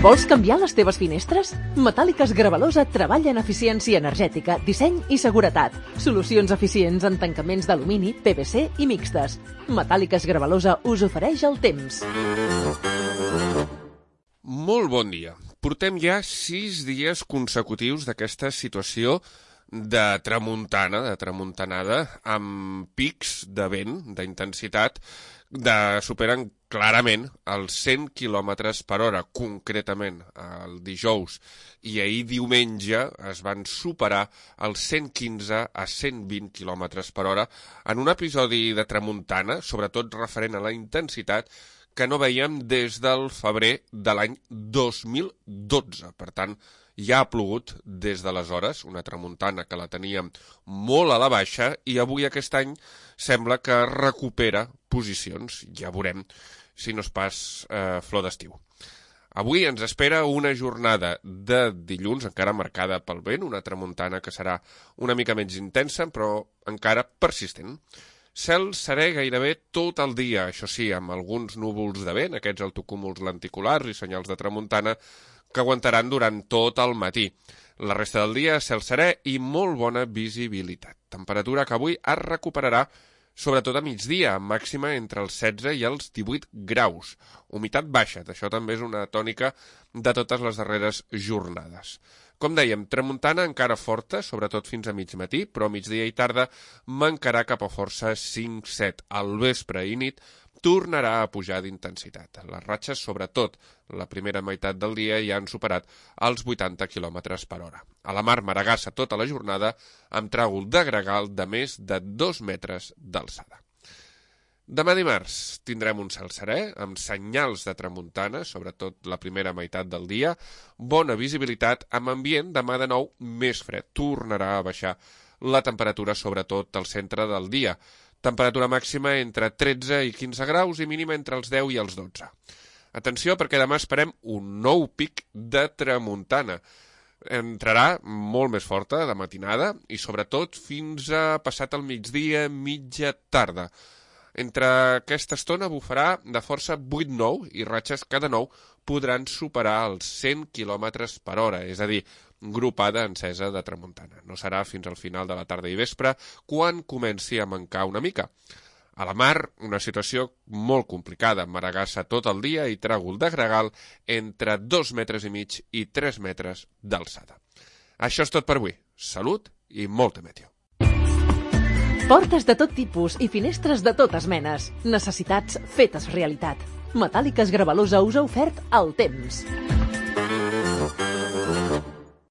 Vols canviar les teves finestres? Metàl·liques Gravalosa treballa en eficiència energètica, disseny i seguretat. Solucions eficients en tancaments d'alumini, PVC i mixtes. Metàl·liques Gravalosa us ofereix el temps. Molt bon dia. Portem ja 6 dies consecutius d'aquesta situació de tramuntanada, amb pics de vent, d'intensitat, superen clarament els 100 km per hora, concretament el dijous, i ahir diumenge es van superar els 115 a 120 km per hora en un episodi de tramuntana, sobretot referent a la intensitat, que no veiem des del febrer de l'any 2012. Per tant, ja ha plogut des d'aleshores, una tramuntana que la teníem molt a la baixa i avui aquest any sembla que recupera posicions. Ja veurem si no és pas flor d'estiu. Avui ens espera una jornada de dilluns encara marcada pel vent, una tramuntana que serà una mica menys intensa però encara persistent. Cel serè gairebé tot el dia, això sí, amb alguns núvols de vent, aquests altocúmuls lenticulars i senyals de tramuntana que aguantaran durant tot el matí. La resta del dia, cel serè i molt bona visibilitat. Temperatura que avui es recuperarà sobretot a migdia, màxima entre els 16 i els 18 graus. Humitat baixa, això també és una tònica de totes les darreres jornades. Com dèiem, tramuntana encara forta, sobretot fins a mig matí, però a migdia i tarda mancarà cap a força 5-7. Al vespre i nit tornarà a pujar d'intensitat. Les ratxes, sobretot la primera meitat del dia, ja han superat els 80 km per hora. A la mar maragassa tota la jornada amb tràgol de gregal de més de 2 metres d'alçada. Demà dimarts tindrem un cel serè, amb senyals de tramuntana, sobretot la primera meitat del dia, bona visibilitat, amb ambient demà de nou més fred. Tornarà a baixar la temperatura, sobretot al centre del dia. Temperatura màxima entre 13 i 15 graus i mínima entre els 10 i els 12. Atenció, perquè demà esperem un nou pic de tramuntana. Entrarà molt més forta de matinada i sobretot fins a passat el migdia, mitja tarda. Entre aquesta estona bufarà de força 8-9 i ratxes que de nou podran superar els 100 km per hora, és a dir, gropada encesa de tramuntana. No serà fins al final de la tarda i vespre quan comenci a mancar una mica. A la mar, una situació molt complicada, maragassa tot el dia i tràgol de gregal entre 2,5 metres i 3 metres d'alçada. Això és tot per avui. Salut i molta meteo. Portes de tot tipus i finestres de totes menes. Necessitats fetes realitat. Metàl·liques Gravalosa us ha ofert el temps.